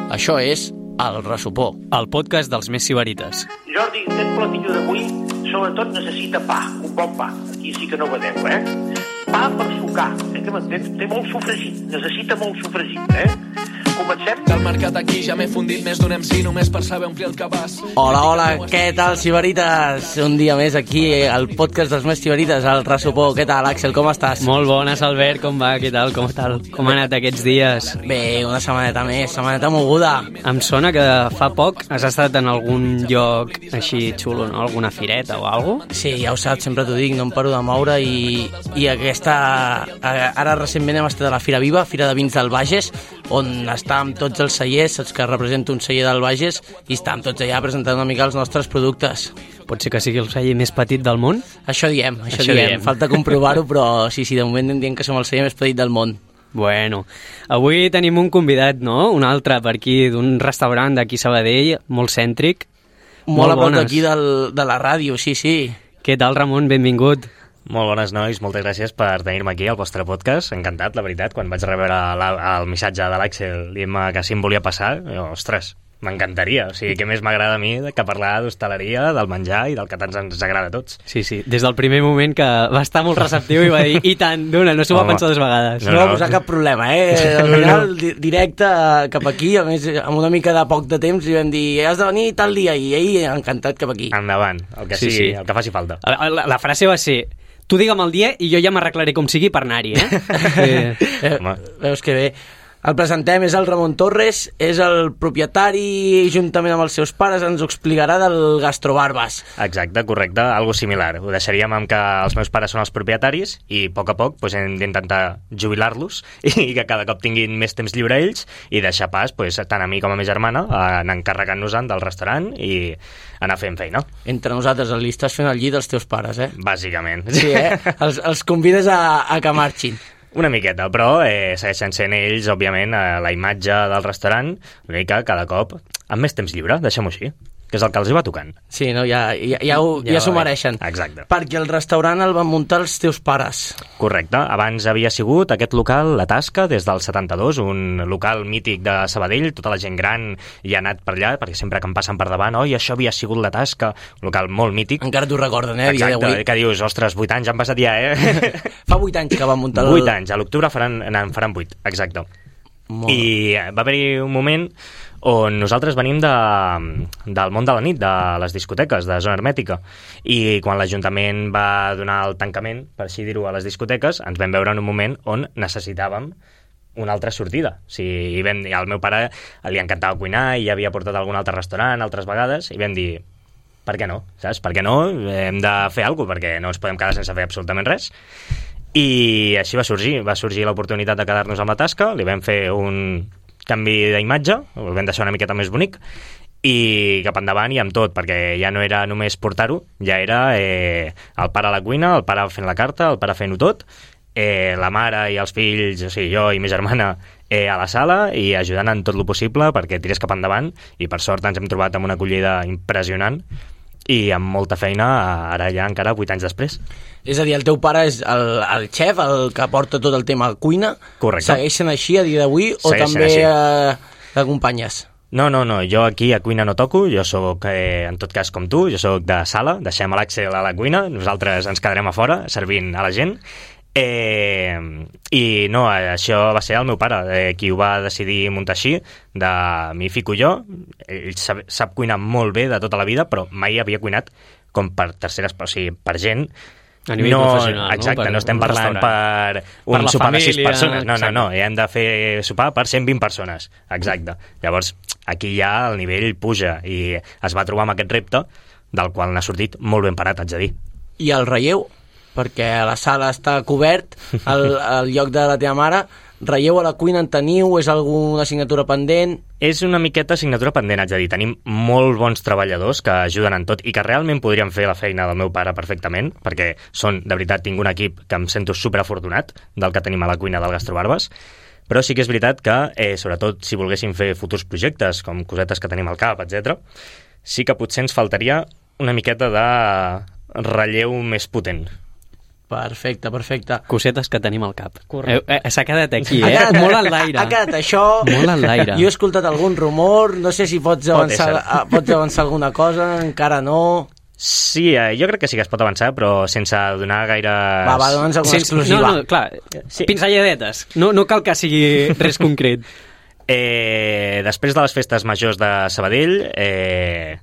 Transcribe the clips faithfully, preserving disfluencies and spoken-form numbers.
Això és El Ressopó, el podcast dels més sibarites. Jordi, aquest platillo d'avui sobretot necessita pa, un bon pa. Aquí sí que no vedeu, eh? Pa per sucar, eh, que m'entens? Té molt sofregit, necessita molt sofregit, eh? Comencem? Del mercat aquí ja m'he fundit més d'un M C només per saber omplir el cabàs. Hola, hola, què tal, sibarites? Un dia més aquí, al podcast dels més sibarites, El Ressopó. Què tal, Àxel, com estàs? Molt bones, Albert, com va? Què tal? Com tal? Com ha anat aquests dies? Bé, una setmaneta més, setmaneta moguda. Em sona que fa poc has estat en algun lloc així xulo, no? Alguna fireta o alguna cosa? Sí, ja ho saps, sempre t'ho dic, no em paro de moure i, i aquesta... Ara recentment hem estat a la Fira Viva, Fira de Vins del Bages, on estàvem tots els cellers, saps que representa un celler del Bages, i estàvem tots allà presentant una mica els nostres productes. Pot ser que sigui el celler més petit del món? Això diem, això, Això diem. diem. Falta comprovar-ho, però sí, sí, de moment em diuen que som el celler més petit del món. Bueno, avui tenim un convidat, no? Un altre per aquí, d'un restaurant d'aquí Sabadell, molt cèntric. Molt, molt a prop d'aquí de la ràdio, sí, sí. Què tal, Ramon? Benvingut. Molt bones, nois. Moltes gràcies per tenir-me aquí al vostre podcast. Encantat, la veritat. Quan vaig rebre la, el missatge de l'Àxel dient-me que sí em volia passar, jo, ostres, m'encantaria. O sigui, què més m'agrada a mi que parlar d'hostaleria, del menjar i del que tant ens agrada a tots. Sí, sí, des del primer moment que va estar molt receptiu i va dir i tant, d'una, no s'ho va pensar dues vegades. No, no va posar cap problema, eh? Al final, directe cap aquí, a més, amb una mica de poc de temps, li vam dir, has de venir tal dia, i ell encantat cap aquí. Endavant, el que Sí, sigui, sí. el que faci falta. La, la, la frase va ser: tu digue'm el dia i jo ja m'arreglaré com sigui per anar-hi, eh? Sí. Eh, veus que bé. El presentem, és el Ramon Torres, és el propietari, juntament amb els seus pares, ens ho explicarà del Gastrobarbas. Exacte, correcte, algo similar. Ho deixaríem amb que els meus pares són els propietaris i a poc a poc pues, hem d'intentar jubilar-los i que cada cop tinguin més temps lliure ells i deixar pas, pues, tant a mi com a ma germana, a anar encarregant-nos-en del restaurant i anar fent feina. Entre nosaltres, li estàs fent el llit als teus pares, eh? Bàsicament. Sí, eh? Els, els convides a, a que marxin. Una miqueta, però eh, segueixen sent ells, òbviament, a la imatge del restaurant, l'únic que cada cop amb més temps lliure, deixem-ho així, que és el que els hi va tocant. Sí, no, ja, ja, ja, ho, ja, ja s'ho mereixen. Exacte. Perquè el restaurant el van muntar els teus pares. Correcte. Abans havia sigut aquest local, La Tasca, des del setanta-dos, un local mític de Sabadell, tota la gent gran hi ha anat per allà, perquè sempre que em passen per davant, oi, això havia sigut La Tasca, un local molt mític. Encara t'ho recorden, eh? Exacte, que dius, ostres, vuit anys han passat ja, eh? Fa vuit anys que van muntar el... Vuit anys, a l'octubre faran, en faran vuit, exacte. Molt. I va haver-hi un moment on nosaltres venim de, del món de la nit, de les discoteques, de zona hermètica, i quan l'Ajuntament va donar el tancament, per així dir-ho, a les discoteques, ens vam veure en un moment on necessitàvem una altra sortida. O sigui, i vam, i al meu pare li encantava cuinar i ja havia portat a algun altre restaurant altres vegades, i vam dir, per què no? Saps? Per què no? Hem de fer alguna cosa, perquè no ens podem quedar sense fer absolutament res. I així va sorgir, va sorgir l'oportunitat de quedar-nos amb La Tasca, li vam fer un canvi d'imatge, el vam deixar una miqueta més bonic, i cap endavant i amb tot, perquè ja no era només portar-ho, ja era eh, el pare a la cuina, el pare fent la carta, el pare fent-ho tot, eh, la mare i els fills, o sigui, jo i ma germana, eh, a la sala i ajudant en tot lo possible perquè tirés cap endavant, i per sort ens hem trobat amb una acollida impressionant i amb molta feina, ara ja encara vuit anys després. És a dir, el teu pare és el, el xef, el que porta tot el tema cuina. Correcte. Segueixen així a dia d'avui o Segueixen també així. eh, t'acompanyes? No, no, no, jo aquí a cuina no toco, jo sóc, eh, en tot cas com tu, jo sóc de sala, deixem l'Àxel a la cuina, nosaltres ens quedarem a fora servint a la gent, eh, i no, això va ser el meu pare, eh, qui ho va decidir muntar així, de m'hi fico jo, ell sap, sap cuinar molt bé de tota la vida, però mai havia cuinat com per terceres, o sigui, per gent. A nivell no, professional, exacte, no? Per no estem un parlant restaurant. per un Per la sopar de sis família, persones, no, no, exacte. no, hem de fer sopar per cent vint persones, exacte. Llavors, aquí ja el nivell puja i es va trobar amb aquest repte, del qual n'ha sortit molt ben parat, haig de dir. I el relleu? Perquè la sala està cobert, el, el lloc de la teva mare, relleu a la cuina en teniu? És alguna assignatura pendent? És una miqueta assignatura pendent, haig de dir. Tenim molt bons treballadors que ajuden en tot i que realment podrien fer la feina del meu pare perfectament, perquè són, de veritat, tinc un equip que em sento superafortunat del que tenim a la cuina del Gastrobarbas, però sí que és veritat que, eh, sobretot si volguéssim fer futurs projectes, com cosetes que tenim al cap, etcètera, sí que potser ens faltaria una miqueta de relleu més potent. Perfecte, perfecte. Cosetes que tenim al cap. Correcte. Eh, eh, S'ha quedat aquí, Ha eh? quedat- Molt en l'aire. Ha quedat això... Molt en l'aire. Jo he escoltat algun rumor, no sé si pots avançar, ésser. ah, pots avançar alguna cosa, encara no... Sí, eh, jo crec que sí que es pot avançar, però sense donar gaire... Va, va, dona'ns alguna Sense- exclusiva. No, no, clar, Sí. pinzelladetes. No, no cal que sigui res concret. Eh, després de les festes majors de Sabadell, eh,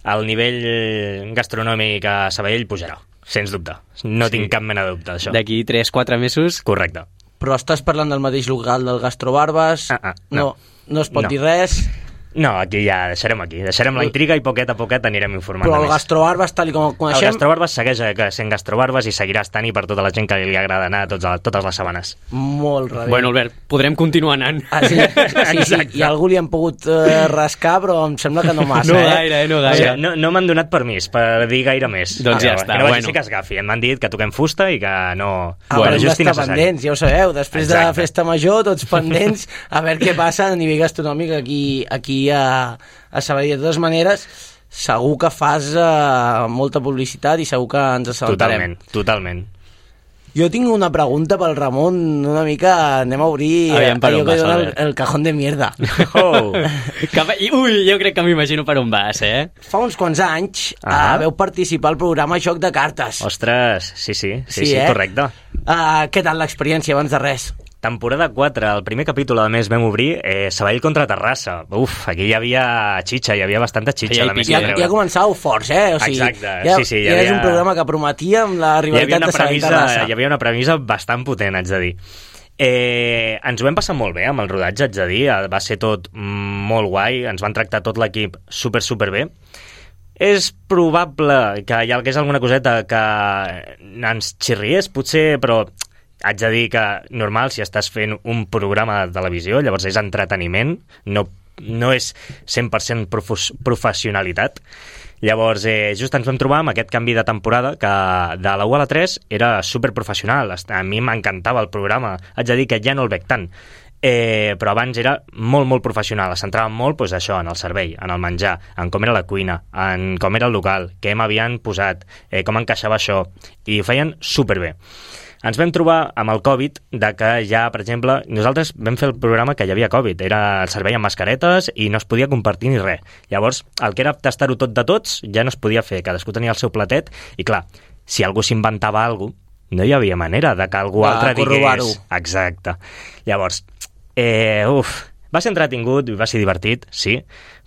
el nivell gastronòmic a Sabadell pujarà, sens dubte. No Sí. tinc cap mena de dubte d'això. D'aquí tres quatre mesos... Correcte. Però estàs parlant del mateix local del Gastrobarbes? Ah, ah, no. no. no. es pot No. dir res? No, aquí ja deixarem aquí. Deixarem la intriga i poquet a poquet anirem informant Però de el més. Gastrobarbes, tal i com el El coneixem... Gastrobarbes segueix eh, sent Gastrobarbes i seguirà estant-hi per tota la gent que li agrada anar tots, totes les setmanes. Molt rebé. Bueno, Albert, podrem continuar anant. Ah, sí, sí, sí, i algú li han pogut eh, rascar, però em sembla que no massa, No eh? gaire, eh, no O gaire. sigui, no no m'han donat permís per dir gaire més. Doncs ja Però està, Que no vagi bueno. ser que es gafi. M'han dit que toquem fusta i que no... Ah, bueno, bueno, just i d'estar necessari. pendents, ja ho sabeu. Després de la Exacte. festa major, tots pendents a veure què passa a nivell gastronòmic aquí, aquí a, a Sabadell. De totes maneres, segur que fas uh, molta publicitat i segur que ens assabentarem. Totalment, totalment. Jo tinc una pregunta pel Ramon, una mica... Anem a obrir Aviam per allò on que vas, dona el, Albert. el cajón de mierda. Oh. Cap... Ui, jo crec que m'imagino per on vas, eh? Fa uns quants anys Ah. uh, veu participar al programa Joc de Cartes. Ostres, sí, sí, sí, Sí, sí, eh? correcte. Uh, què tal l'experiència abans de res? Temporada quatre, el primer capítol, a més, vam obrir eh, Sabadell contra Terrassa. Uf, aquí hi havia xitxa, hi havia bastanta xitxa. Feia a més, pique, Ja, que eh? treure. ja començàveu forts, eh? O sigui, Exacte, ja, sí, sí, hi ja és havia- un programa que prometia amb la hi havia, rivalitat una de Sabadell premissa, Terrassa. hi havia una premissa bastant potent, haig de dir. Eh, ens ho vam passar molt bé amb el rodatge, haig de dir. Va ser tot mm, molt guai, ens van tractar tot l'equip super, super bé. És probable que hi hagués alguna coseta que ens xirriés, potser, però haig de dir que normal, si estàs fent un programa de televisió, llavors és entreteniment, no, no és cent per cent profus, professionalitat. Llavors, eh, just ens vam trobar amb aquest canvi de temporada que de la u a la tres era superprofessional. A mi m'encantava el programa. Haig de dir que ja no el veig tant. Eh, però abans era molt, molt professional. Es centrava molt doncs, això, en el servei, en el menjar, en com era la cuina, en com era el local, què m'havien posat, eh, com encaixava això, i ho feien superbé. Ens vam trobar amb el Covid de que ja, per exemple, nosaltres vam fer el programa que hi havia Covid, era el servei amb mascaretes i no es podia compartir ni res. Llavors, el que era tastar-ho tot de tots ja no es podia fer, cadascú tenia el seu platet i clar, si algú s'inventava alguna cosa, no hi havia manera de que algú Va, altre corroborar-ho. digués... Exacte. Llavors, eh, uf, va ser entretingut, va ser divertit, sí,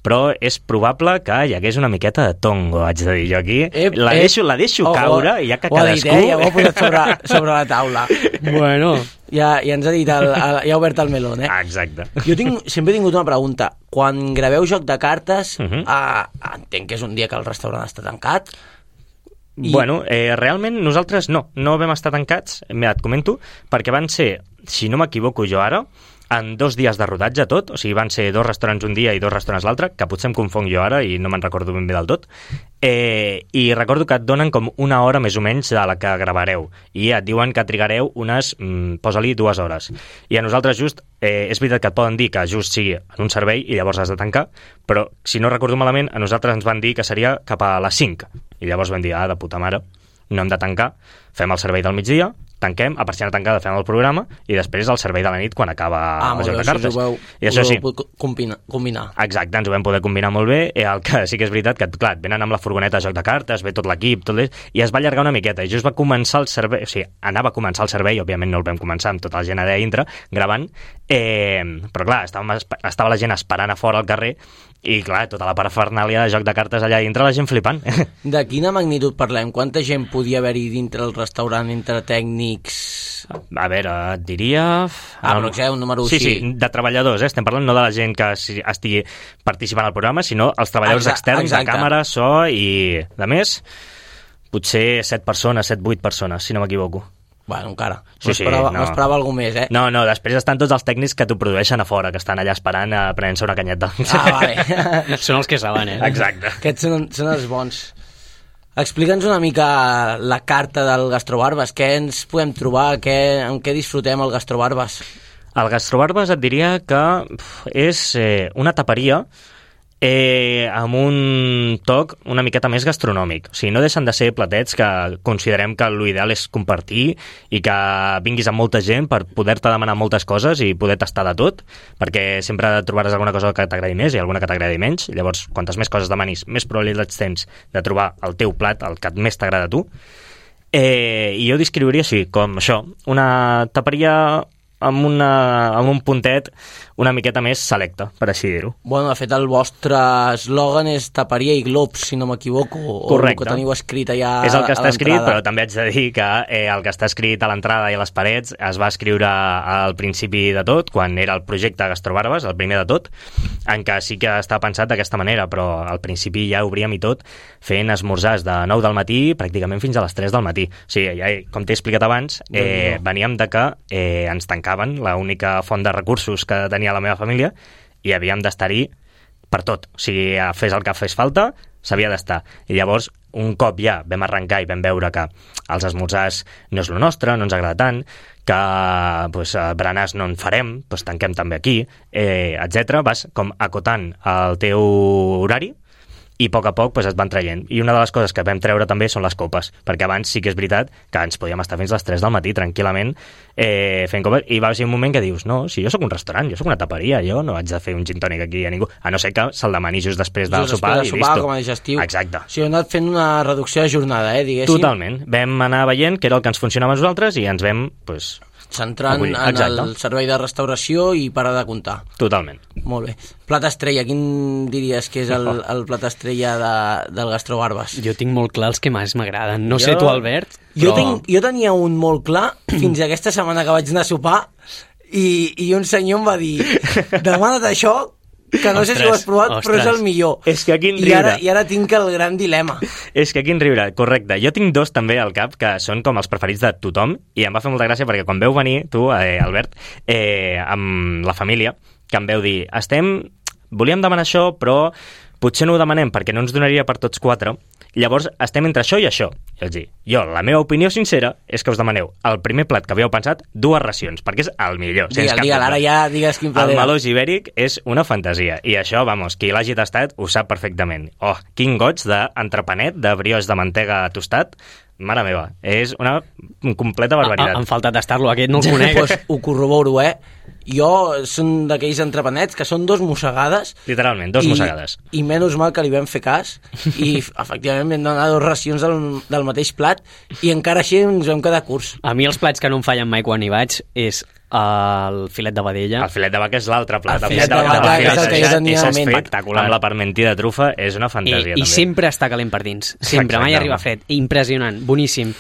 però és probable que hi hagués una miqueta de tongo, haig de dir jo aquí. Ep, la, ep. deixo, la deixo Oh, caure oh, i ja que ho ha dit, cadascú... eh? Ja ho ha posat sobre, sobre la taula. Bueno, Ja, ja ens ha dit, el, el, ja ha obert el melón, eh? Ah, exacte. Jo tinc, sempre he tingut una pregunta. Quan graveu Joc de Cartes, uh Mhm. -huh. entenc que és un dia que el restaurant està tancat. I... Bueno, eh, realment nosaltres no, no vam estar tancats, mira, et comento, perquè van ser, si no m'equivoco jo ara, en dos dies de rodatge tot, o sigui, van ser dos restaurants un dia i dos restaurants l'altre, que potser em confonc jo ara i no me'n recordo ben bé del tot, eh, i recordo que et donen com una hora més o menys de la que gravareu, i et diuen que trigareu unes, mm, posa-li, dues hores. I a nosaltres just, eh, és veritat que et poden dir que just sigui en un servei i llavors has de tancar, però si no recordo malament, a nosaltres ens van dir que seria cap a les cinc, i llavors vam dir, ah, de puta mare, no hem de tancar, fem el servei del migdia, tanquem, a persiana tancada fem el programa i després el servei de la nit quan acaba Ah, el molt joc bé, de això cartes. us ho veu, I això us sí, ho heu combinar, combinar. exacte, ens ho vam poder combinar molt bé. Eh, el que sí que és veritat que, clar, et venen amb la furgoneta de joc de cartes, ve tot l'equip, tot és, i es va allargar una miqueta. I just va començar el servei, o sigui, anava a començar el servei, òbviament no el vam començar amb tota la gent allà dintre, gravant, eh, però clar, estava, estava la gent esperant a fora al carrer i, clar, tota la parafernàlia de joc de cartes allà dintre, la gent flipant. De quina magnitud parlem? Quanta gent podia haver-hi dintre el restaurant, entre tècnics... A veure, et diria... Ah, però que un número sí, així. sí, de treballadors, eh? Estem parlant no de la gent que si- estigui participant al programa, sinó els treballadors Exa- externs exacte. de càmera, so i... De més, potser set persones, set, vuit persones, si no m'equivoco. Bueno, encara. Sí, sí, M'esperava no. m'esperava alguna més, eh? No, no, després estan tots els tècnics que t'ho produeixen a fora, que estan allà esperant a prenent-se una canyeta. Ah, vale. són els que saben, eh? Exacte. Aquests són, són els bons. Explica'ns una mica la carta del Gastrobarbes. Què ens podem trobar? Què, en què disfrutem el Gastrobarbes? El Gastrobarbes et diria que pf, és eh, una taperia eh, amb un toc una miqueta més gastronòmic. O sigui, no deixen de ser platets que considerem que l'ideal és compartir i que vinguis amb molta gent per poder-te demanar moltes coses i poder tastar de tot, perquè sempre trobaràs alguna cosa que t'agradi més i alguna que t'agradi menys. Llavors, quantes més coses demanis, més probabilitats tens de trobar el teu plat, el que més t'agrada a tu. Eh, I jo descriuria així, com això, una taperia amb, una, amb un puntet una miqueta més selecte, per així dir-ho. Bueno, de fet, el vostre eslògan és taperia i globs, si no m'equivoco. Correcte. O el que teniu escrit allà és el que a està escrit, l'entrada. però també haig de dir que eh, el que està escrit a l'entrada i a les parets es va escriure al principi de tot, quan era el projecte Gastrobarbes, el primer de tot, en què sí que està pensat d'aquesta manera, però al principi ja obríem i tot fent esmorzars de nou del matí pràcticament fins a les tres del matí. O sigui, ja, com t'he explicat abans, eh, veníem de que eh, ens tancaven l'única font de recursos que tenia la meva família i havíem d'estar-hi per tot. O sigui, fes el que fes falta, s'havia d'estar. I llavors, un cop ja vam arrencar i vam veure que els esmorzars no és el nostre, no ens agrada tant, que pues, berenars no en farem, pues, tanquem també aquí, eh, etcètera. Vas com acotant el teu horari i a poc a poc pues, es van traient. I una de les coses que vam treure també són les copes, perquè abans sí que és veritat que ens podíem estar fins a les tres del matí tranquil·lament eh, fent copes, i va ser un moment que dius, no, si jo sóc un restaurant, jo sóc una taperia, jo no haig de fer un gin tònic aquí a ningú, a no ser que se'l demani just després del Just sopar després i del sopar, listo. com a digestiu. Exacte. O sigui, hem anat fent una reducció de jornada, eh, diguéssim. Totalment. Vam anar veient què era el que ens funcionava a nosaltres i ens vam, pues, centrant acollir. en Exacte. el servei de restauració i parar de comptar. Totalment. Molt bé. Plat estrella, quin diries que és el, el plat estrella de, del Gastrobarbes? Jo tinc molt clar els que més m'agraden. No Jo- sé tu, Albert, Jo, però... tinc, jo tenia un molt clar fins a aquesta setmana que vaig anar a sopar i, i un senyor em va dir demana't això, que no sé si ho has provat, Ostres, però és el millor. És que quin I ara, riure. I ara tinc el gran dilema. És que quin riure, correcte. Jo tinc dos també al cap que són com els preferits de tothom i em va fer molta gràcia perquè quan veu venir, tu, eh, Albert, eh, amb la família, que em veu dir, estem, volíem demanar això, però potser no ho demanem perquè no ens donaria per tots quatre, llavors estem entre això i això. I els dic, jo, la meva opinió sincera és que us demaneu el primer plat que havíeu pensat, dues racions, perquè és el millor. sense Digue'l, cap digue'l, dubte. ara ja digues quin plat El era. melós ibèric és una fantasia, i això, vamos, qui l'hagi tastat ho sap perfectament. Oh, quin goig d'entrepanet, de brioix de mantega tostat, mare meva, és una completa barbaritat. Ah, em falta tastar-lo, aquest no el conec. Pues ho corroboro, eh? Jo són d'aquells entrepanets que són dos mossegades. Literalment, dos i, mossegades. I menys mal que li vam fer cas i efectivament vam donar dues racions del, del mateix plat i encara així ens vam quedar curts. A mi els plats que no em fallen mai quan hi vaig és el filet de vedella. El filet de vaca és l'altre plat. El filet de vaca és el que jo tenia és en ment. espectacular. Amb la parmentí de trufa és una I, fantasia, I també. sempre està calent per dins. Sempre, Exacte, mai arriba home. fred. Impressionant, boníssim.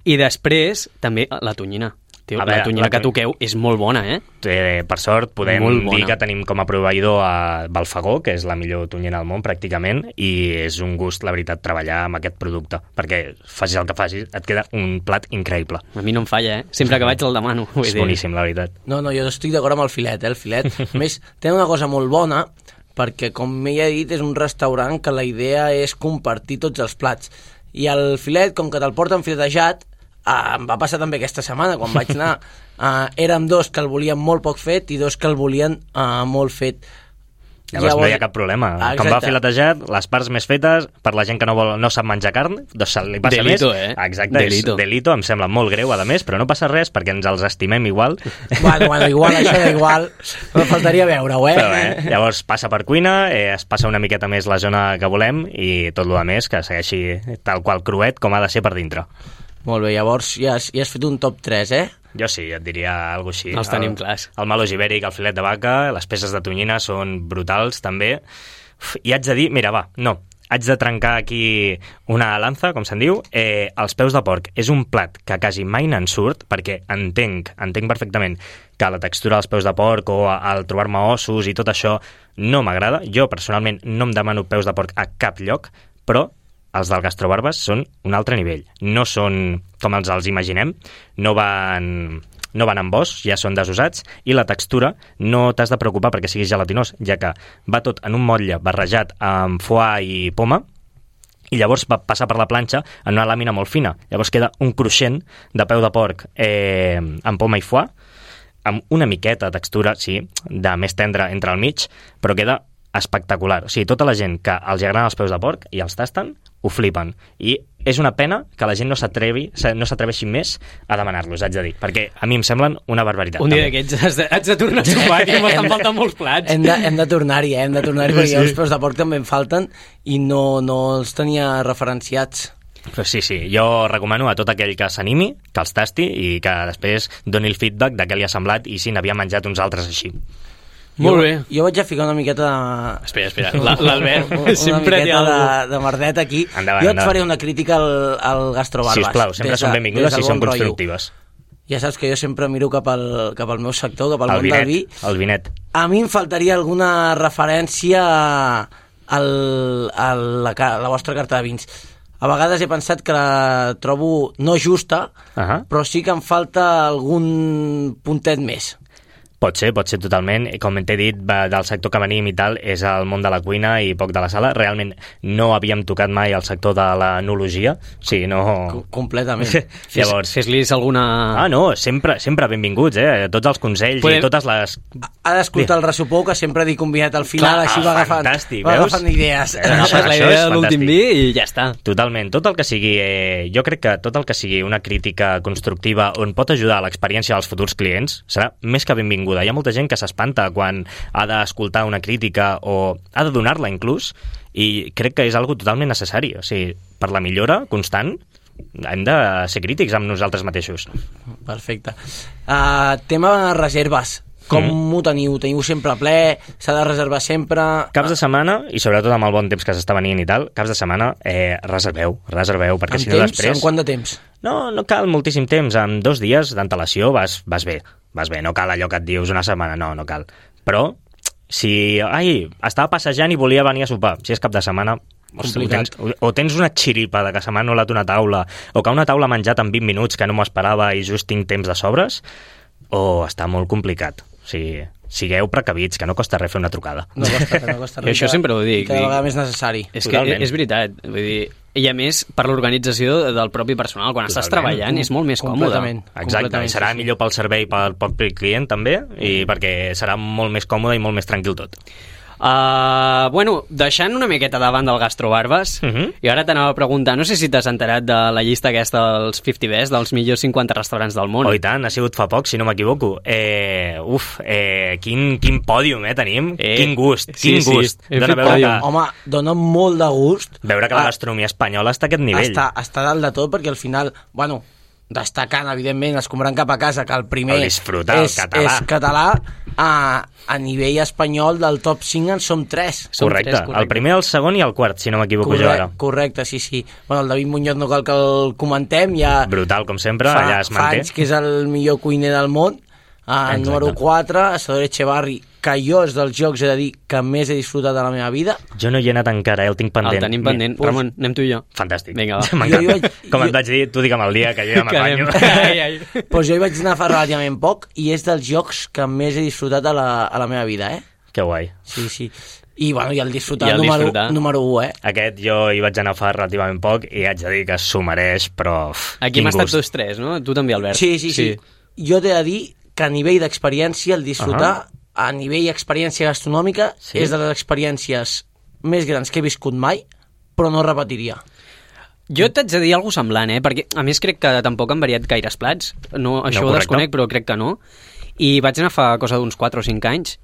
I després, també, la tonyina. Tio, A la veure, tonyina la que tony- toqueu és molt bona, eh? Eh, per sort, podem Molt bona. dir que tenim com a proveïdor a Balfagó, que és la millor tonyina del món, pràcticament, i és un gust, la veritat, treballar amb aquest producte, perquè facis el que facis, et queda un plat increïble. A mi no em falla, eh? Sempre que vaig el demano. Vull És dir. boníssim, la veritat. No, no, jo estic d'acord amb el filet, eh? El filet. A més, té una cosa molt bona, perquè, com ja he dit, és un restaurant que la idea és compartir tots els plats. I el filet, com que te'l porten filetejat, eh, em va passar també aquesta setmana, quan vaig anar, eh, érem dos que el volien molt poc fet i dos que el volien eh, molt fet. Llavors, no hi ha cap problema. Ah, Com va exacte. filetejat, les parts més fetes, per la gent que no vol no sap menjar carn, doncs se li passa Delito, més. eh? Exacte, Delito. és delito, em sembla molt greu, a més, però no passa res perquè ens els estimem igual. Bueno, bueno, igual, això d'igual, no faltaria veure-ho, eh? Però bé, llavors passa per cuina, eh, es passa una miqueta més la zona que volem i tot el més que segueixi tal qual cruet com ha de ser per dintre. Molt bé, llavors ja has, ja has fet un top tres, eh? Jo sí, et diria alguna cosa així. Els tenim el, clars. El melós ibèric, el filet de vaca, les peces de tonyina són brutals, també. Uf, I haig de dir, mira, va, no, haig de trencar aquí una lança, com se'n diu. Eh, els peus de porc és un plat que quasi mai n'en surt, perquè entenc, entenc perfectament que la textura dels peus de porc o al trobar-me ossos i tot això no m'agrada. Jo, personalment, no em demano peus de porc a cap lloc, però els del Gastrobarbes són un altre nivell. No són com els els imaginem, no van, no van amb os, ja són desusats, i la textura no t'has de preocupar perquè siguis gelatinós, ja que va tot en un motlle barrejat amb foie i poma, i llavors va passar per la planxa en una làmina molt fina. Llavors queda un cruixent de peu de porc eh, amb poma i foie, amb una miqueta de textura, sí, de més tendra entre al mig, però queda espectacular. O sigui, tota la gent que els agraden els peus de porc i els tasten, ho flipen. I és una pena que la gent no s'atrevi, no s'atreveixi més a demanar-los, haig de dir, perquè a mi em semblen una barbaritat. Un dia d'aquests has, de, has de tornar a sopar, que m'estan faltant molts plats. Hem de, hem de tornar-hi, eh? hem de tornar-hi, perquè sí. Els peus de porc també em falten i no, no els tenia referenciats. Però sí, sí, jo recomano a tot aquell que s'animi, que els tasti i que després doni el feedback de què li ha semblat i si n'havia menjat uns altres així. Molt bé. Jo, jo vaig a ficar una miqueta de... Espera, espera, l'Albert sempre té alguna miqueta de, de merdet aquí. Endavant, jo et endavant. faré una crítica al, al Gastrobarbas. Sisplau, sempre són benvingudes i són constructives. Ja saps que jo sempre miro cap al, cap al meu sector, cap al el món vinet, del vi. El vinet. A mi em faltaria alguna referència al, a la, la vostra carta de vins. A vegades he pensat que la trobo no justa, uh-huh. però sí que em falta algun puntet més. Pot ser, pot ser totalment. Com t'he dit, del sector que venim i tal, és el món de la cuina i poc de la sala. Realment no havíem tocat mai el sector de l'enologia. Sí, no... Com completament. Llavors... Fes-lis alguna... Ah, no, sempre, sempre benvinguts, eh? Tots els consells Podem... i totes les... Ha d'escoltar el ressupó, que sempre dic convidat al final, Clar, així va agafant, fantàstic, va veus? agafant idees. Eh, no, Això, la això idea és de l'últim vi i ja està. Totalment. Tot el que sigui... Eh, jo crec que tot el que sigui una crítica constructiva on pot ajudar a l'experiència dels futurs clients serà més que benvinguda. Hi ha molta gent que s'espanta quan ha d'escoltar una crítica o ha de donar-la inclús, i crec que és algo totalment necessari. O sigui, per la millora constant hem de ser crítics amb nosaltres mateixos. Perfecte. Uh, tema reserves. Com mm. ho teniu? Teniu sempre ple? S'ha de reservar sempre? Caps de setmana, i sobretot amb el bon temps que s'està venint i tal, caps de setmana, eh, reserveu, reserveu, perquè en si no temps? després... En quant de temps? No, no cal moltíssim temps, amb dos dies d'antelació vas, vas bé, vas bé, no cal allò que et dius una setmana, no, no cal. Però, si, ai, estava passejant i volia venir a sopar, si és cap de setmana, o tens, o tens una xiripa de que se m'ha anul·lat una taula, o que una taula ha menjat en vint minuts que no m'ho esperava i just tinc temps de sobres, o està molt complicat. O sigui, sigueu precavits, que no costa res fer una trucada. No costa, no costa res. I això sempre ho dic. I cada vegada més necessari. És que és veritat. Vull dir, i a més, per l'organització del propi personal, quan Totalment. Estàs treballant és molt més còmode. Exacte, i serà sí, sí. millor pel servei pel propi client també, i perquè serà molt més còmode i molt més tranquil tot. Uh, bueno, deixant una miqueta davant del Gastrobarbas, uh -huh. i ara t'anava a preguntar, no sé si t'has enterat de la llista aquesta dels cinquanta best, dels millors cinquanta restaurants del món. Oh, i tant, ha sigut fa poc, si no m'equivoco. Eh, uf, eh, quin, quin pòdium, eh, tenim. Eh, quin gust, quin sí, gust. Sí, dona veure que... Home, dona molt de gust. Veure que la gastronomia espanyola està a aquest nivell. Està, està dalt de tot, perquè al final, bueno, destacant, evidentment, escombrant cap a casa, que el primer el disfrutar, és, el català. és català, a, a nivell espanyol del top cinc en som tres. Som correcte. tres, correcte, el primer, el segon i el quart, si no m'equivoco jo ara. Correcte, sí, sí. Bueno, el David Muñoz no cal que el comentem, ja... Brutal, com sempre, fa, allà es manté. Fa anys que és el millor cuiner del món. El número quatre, Salvador Echevarri, que jo és dels jocs, he de dir, que més he disfrutat de la meva vida. Jo no hi he anat encara, eh? El tinc pendent. El tenim pendent. Pues... Ramon, anem tu i jo. Fantàstic. Vinga, va. Jo, jo vaig, Com jo... et vaig dir, tu digue'm el dia, que jo ja m'apanyo. Doncs pues jo hi vaig anar fa relativament poc i és dels jocs que més he disfrutat a la, a la meva vida, eh? Que guai. Sí, sí. I, bueno, i el disfrutar, I el número, disfrutar. número u, eh? Aquest jo hi vaig anar fa relativament poc i haig de dir que s'ho mereix, però... Aquí hem estat tots tres, no? Tu també, Albert. Sí, sí, sí. sí. Jo t'he de dir que a nivell d'experiència, el disfrutar, uh -huh. a nivell d'experiència gastronòmica, sí. és de les experiències més grans que he viscut mai, però no repetiria. Jo t'haig de dir alguna cosa semblant, eh? Perquè, a més, crec que tampoc han variat gaires plats. No, això no, ho desconec, però crec que no. I vaig anar fa cosa d'uns quatre o cinc anys,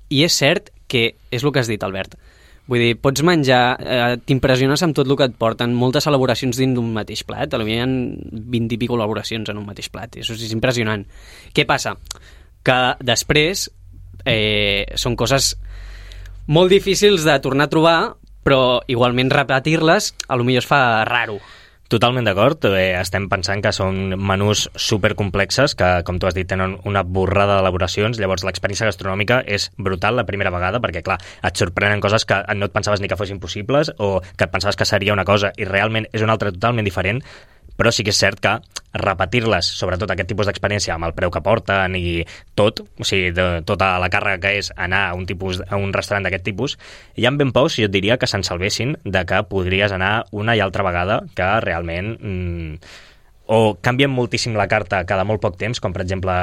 i és cert que és el que has dit, Albert. Vull dir, pots menjar, eh, t'impressiones amb tot el que et porten, moltes elaboracions dins d'un mateix plat, potser hi ha vint i pico elaboracions en un mateix plat, això és impressionant. Què passa? Que després eh, són coses molt difícils de tornar a trobar, però igualment repetir-les potser es fa raro. Totalment d'acord, eh, estem pensant que són menús supercomplexes que, com tu has dit, tenen una borrada d'elaboracions, llavors l'experiència gastronòmica és brutal la primera vegada, perquè clar, et sorprenen coses que no et pensaves ni que fossin possibles o que et pensaves que seria una cosa i realment és una altra totalment diferent, però sí que és cert que repetir-les, sobretot aquest tipus d'experiència amb el preu que porten i tot, o sigui, de, tota la càrrega que és anar a un, tipus, a un restaurant d'aquest tipus, hi ha ben pocs, jo et diria, que se'n salvessin de que podries anar una i altra vegada, que realment mmm, o canvien moltíssim la carta cada molt poc temps, com per exemple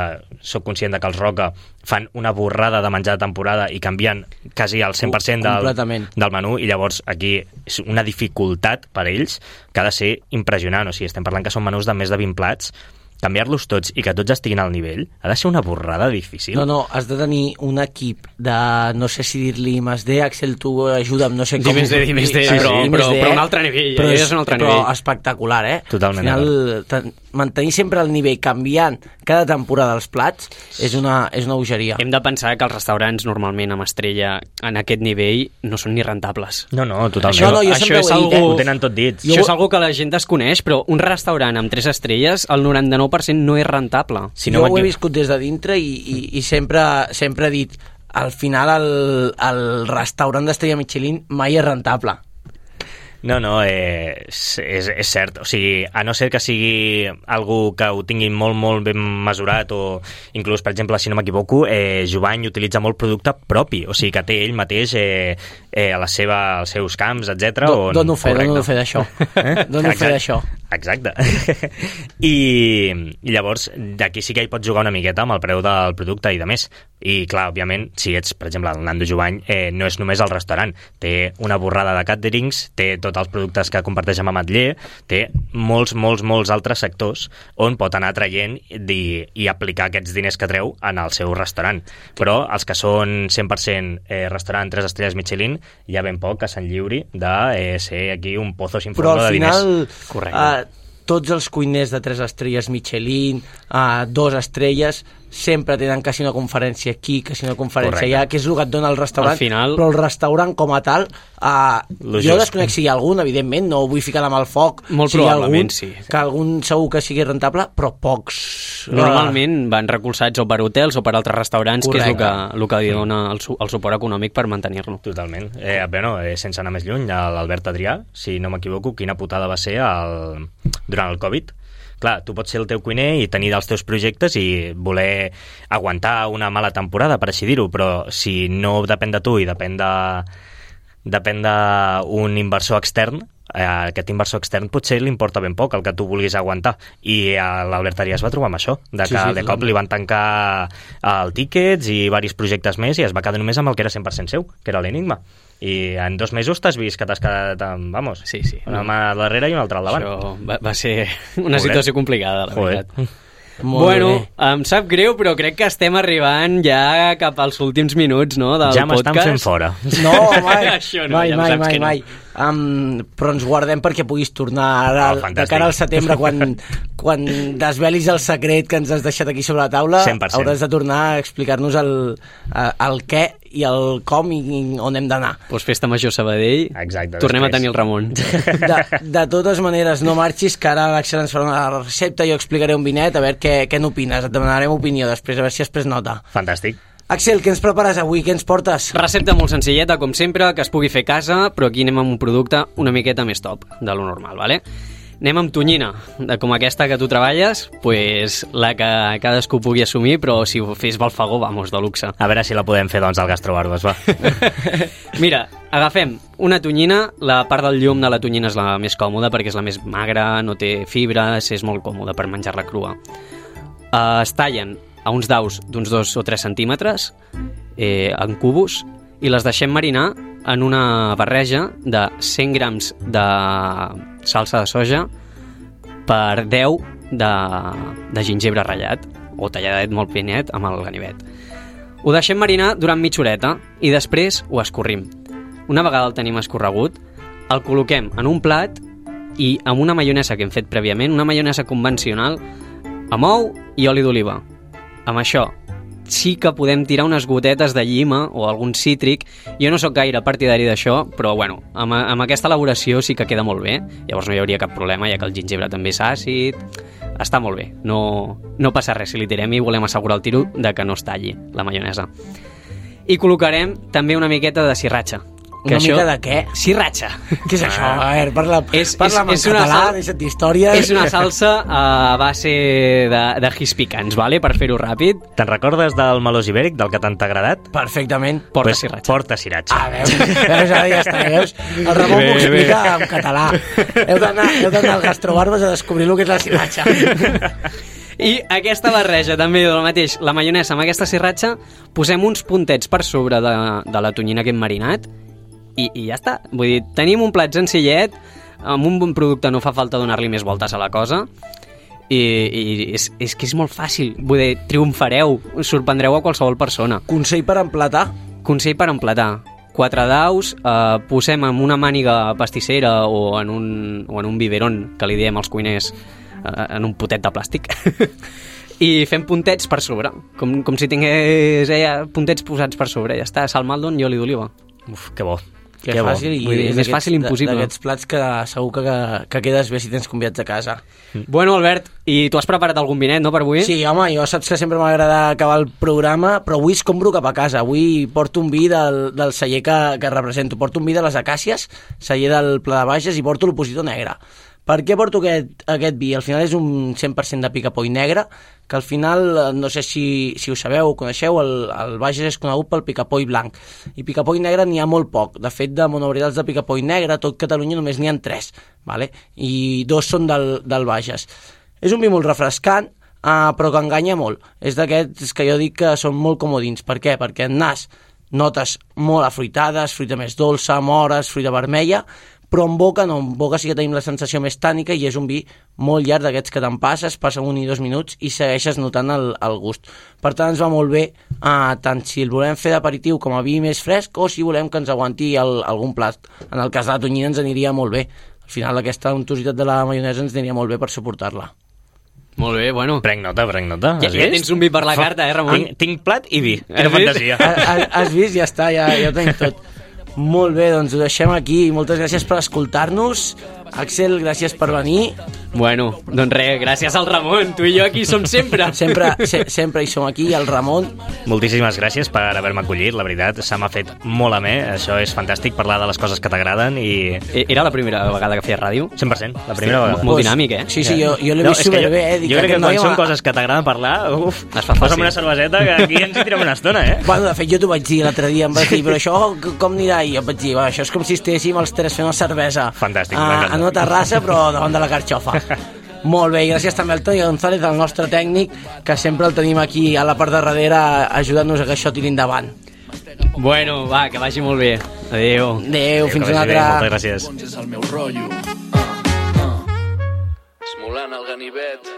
soc conscient de que els Roca fan una borrada de menjar de temporada i canvien quasi al cent per cent del, del menú, i llavors aquí és una dificultat per a ells que ha de ser impressionant. O sigui, estem parlant que són menús de més de vint plats, canviar-los tots i que tots estiguin al nivell ha de ser una borrada difícil. No, no, has de tenir un equip de, no sé si dir-li I més D, Axel, tu ajuda'm, no sé com... I més D, I més D, però, però, però un altre nivell, però és, és un altre però nivell. Espectacular, eh? Totalment. Al final, ten, mantenir sempre el nivell canviant cada temporada els plats és una, és una bogeria. Hem de pensar que els restaurants normalment amb estrella en aquest nivell no són ni rentables. No, no, totalment. Això, no, jo Això sempre és ho he dit, algú... eh? Ho tenen tot dit. Això és algo que la gent desconeix, però un restaurant amb tres estrelles, el noranta-nou per cent no és rentable. Si no jo ho he viscut des de dintre i, i, i sempre, sempre he dit, al final el, el restaurant d'Estrella Michelin mai és rentable. No, no, eh, és, és, és cert. O sigui, a no ser que sigui algú que ho tingui molt, molt ben mesurat, o inclús, per exemple, si no m'equivoco, eh, Jovany utilitza molt producte propi, o sigui, que té ell mateix eh, eh, a la seva, als seus camps, etcètera. Do, dono fe, dono fe d'això. Eh? Dono fe d'això. Exacte. I, I llavors, d'aquí sí que hi pots jugar una miqueta amb el preu del producte i de més. I, clar, òbviament, si ets, per exemple, el Nando Jovany, eh, no és només el restaurant. Té una borrada de caterings, té tots els productes que comparteix amb Ametller, té molts, molts, molts altres sectors on pot anar traient i, i aplicar aquests diners que treu en el seu restaurant. Però els que són cent per cent eh, restaurant tres estrelles Michelin, hi ha ben poc que se'n lliuri de eh, ser aquí un pozo sin fondo de diners. Però al final, correcte. Uh, tots els cuiners de tres estrelles Michelin, uh, dos estrelles, sempre tenen quasi una conferència aquí, quasi una conferència Correcte. allà, que és el que et dona el restaurant, final... però el restaurant com a tal, uh, jo just. desconec si hi ha algun, evidentment, no vull ficar la mà al foc, Molt si hi ha probablement, algun, sí. que algun segur que sigui rentable, però pocs. Normalment van recolzats o per hotels o per altres restaurants, Correcte. que és el que, el que li dona el, su el suport econòmic per mantenir-lo. Totalment. Eh, bueno, eh, sense anar més lluny, l'Albert Adrià, si no m'equivoco, quina putada va ser el... durant el Covid. Clar, tu pots ser el teu cuiner i tenir dels teus projectes i voler aguantar una mala temporada, per així dir-ho, però si no depèn de tu i depèn de depèn d'un inversor extern, eh, aquest inversor extern potser li importa ben poc el que tu vulguis aguantar, i l'Albert Arias va trobar amb això, de que Sí, sí, de cop li van tancar el Tickets i diversos projectes més i es va quedar només amb el que era cent per cent seu, que era l'Enigma. I en dos mesos t'has vist que t'has quedat amb, vamos, Sí, sí. una mà al darrere i una altra al davant. Això va, va ser una Joder. situació complicada, la Joder. veritat. Molt Bueno, bé. em sap greu, però crec que estem arribant ja cap als últims minuts, no?, del Ja m'estan podcast. fent fora. No, mai, Això no, mai, ja em mai, saps mai, que no. mai. Um, però ens guardem perquè puguis tornar ara, Oh, de fantàstic. cara al setembre, quan, quan desvelis el secret que ens has deixat aquí sobre la taula. cent per cent. Hauràs de tornar a explicar-nos el, el què i el com i on hem d'anar. Pues festa major Sabadell, Exacte, tornem després. a tenir el Ramon. De, de totes maneres, no marxis, que ara l'Axel ens farà una recepta, jo explicaré un vinet, a veure què, què n'opines, et demanarem opinió després, a veure si has pres nota. Fantàstic. Axel, què ens prepares avui? Què ens portes? Recepta molt senzilleta, com sempre, que es pugui fer a casa, però aquí anem amb un producte una miqueta més top de lo normal, vale? Anem amb tonyina, de com aquesta que tu treballes, pues la que cadascú pugui assumir, però si ho fes Balfagó, vamos, de luxe. A veure si la podem fer, doncs, al Gastrobarbes, va. Mira, agafem una tonyina, la part del llum de la tonyina és la més còmoda perquè és la més magra, no té fibres, és molt còmoda per menjar-la crua. Uh, es tallen a uns daus d'uns dos o tres centímetres eh, en cubos i les deixem marinar en una barreja de cent grams de salsa de soja per deu de, de gingebre ratllat o talladet molt finet amb el ganivet. Ho deixem marinar durant mitja horeta i després ho escorrim. Una vegada el tenim escorregut, el col·loquem en un plat i amb una maionesa que hem fet prèviament, una maionesa convencional amb ou i oli d'oliva. Amb això sí que podem tirar unes gotetes de llima o algun cítric. Jo no sóc gaire partidari d'això, però bueno, amb, amb aquesta elaboració sí que queda molt bé. Llavors no hi hauria cap problema, ja que el gingebre també és àcid. Està molt bé, no, no passa res si li tirem i volem assegurar el tiro de que no es talli la maionesa. I col·locarem també una miqueta de sirratxa, Una això... mica de què? Sriracha. Què és això? A veure, parla, És- parla és- és en una català, sal- deixa't d'històries. És una salsa a base de, de gis picants, vale? Per fer-ho ràpid. Te'n recordes del melós ibèric, del que tant t'ha agradat? Perfectament. Porta Pues, sriracha. Porta sriracha. Ah, veus? Veus, ara ja està, veus? El Ramon Bé, m'ho bé. explica en català. Heu d'anar heu d'anar al Gastrobarbes a descobrir el que és la sriracha. I aquesta barreja també del mateix, la maionesa amb aquesta sriracha, posem uns puntets per sobre de, de la tonyina que hem marinat i, i ja està. Vull dir, tenim un plat senzillet, amb un bon producte no fa falta donar-li més voltes a la cosa i, i és, és que és molt fàcil. Vull dir, triomfareu, us sorprendreu a qualsevol persona. Consell per emplatar. Consell per emplatar. Quatre daus, eh, posem en una màniga pastissera o en un, o en un biberón, que li diem als cuiners, eh, en un potet de plàstic, i fem puntets per sobre, com, com si tingués eh, puntets posats per sobre. Ja està, sal Maldon i oli d'oliva. Uf, que bo. Que Que bo. fàcil, i Vull dir, és més d'aquests- fàcil impossible. D'aquests plats que segur que, que quedes bé si tens convidats a casa. Bueno, Albert, i tu has preparat algun vinet, no, per avui? Sí, home, jo saps que sempre m'agrada acabar el programa, però avui es compro cap a casa. Avui porto un vi del, del celler que, que represento. Porto un vi de les Acàcies, celler del Pla de Bages, i porto l'Opositor Negre. Per què porto aquest, aquest vi? Al final és un cent per cent de picapoll negre, que al final, eh, no sé si, si ho sabeu o coneixeu, el, el Bages és conegut pel picapoll blanc. I picapoll negre n'hi ha molt poc. De fet, de monovarietals de picapoll negre, tot Catalunya només n'hi ha tres, vale? I dos són del, del Bages. És un vi molt refrescant, uh, però que enganya molt. És d'aquests que jo dic que són molt comodins. Per què? Perquè en nas notes molt afruitades, fruita més dolça, mores, fruita vermella, però en boca no, en boca sí que tenim la sensació més tànica i és un vi molt llarg d'aquests que te'n passes, passen un i dos minuts i segueixes notant el, el gust. Per tant, ens va molt bé, eh, tant si el volem fer d'aperitiu com a vi més fresc o si volem que ens aguanti el, algun plat. En el cas de la tonyina ens aniria molt bé. Al final aquesta untositat de la maionesa ens aniria molt bé per suportar-la. Molt bé, bueno. Prenc nota, prenc nota. Ja, Has ja vist? tens un vi per la carta, eh, Ramon? Tinc, tinc plat i vi. Has Quina vist? fantasia. Has, has vist? Ja està, ja, ja ho tenim tot. Molt bé, doncs ho deixem aquí. Moltes gràcies per escoltar-nos. Axel, gràcies per venir. Bueno, doncs res, gràcies al Ramon. Tu i jo aquí som sempre. Sempre, se, sempre hi som aquí, el Ramon. Moltíssimes gràcies per haver-me acollit, la veritat. Se m'ha fet molt amè. Això és fantàstic, parlar de les coses que t'agraden i... Era la primera vegada que feies ràdio? cent per cent, la primera vegada. Molt dinàmic, eh? Sí, sí, jo, jo l'he No, vist és que jo, superbé, eh? Dic, jo crec que aquest quan noi són m'ha- coses que t'agraden parlar, uf, Es fa fàcil. posa'm una cerveseta que aquí ens hi tirem una estona, eh? Bueno, de fet, jo t'ho vaig dir l'altre dia, em vas dir, però això c- com anirà? I jo et vaig dir, va, això és com si estéssim els tres fent una cervesa. Fantàstic, a, m'encanta. en una terrassa, però davant de la carxofa. Molt bé, i gràcies també al Toni González, el nostre tècnic, que sempre el tenim aquí a la part de darrere ajudant-nos a que això tiri endavant. Bueno, va, que vagi molt bé. Adéu. Adéu, fins Que una vagi bé, altra. moltes gràcies. Doncs és el meu rotllo. Ah, ah. Esmolant el ganivet.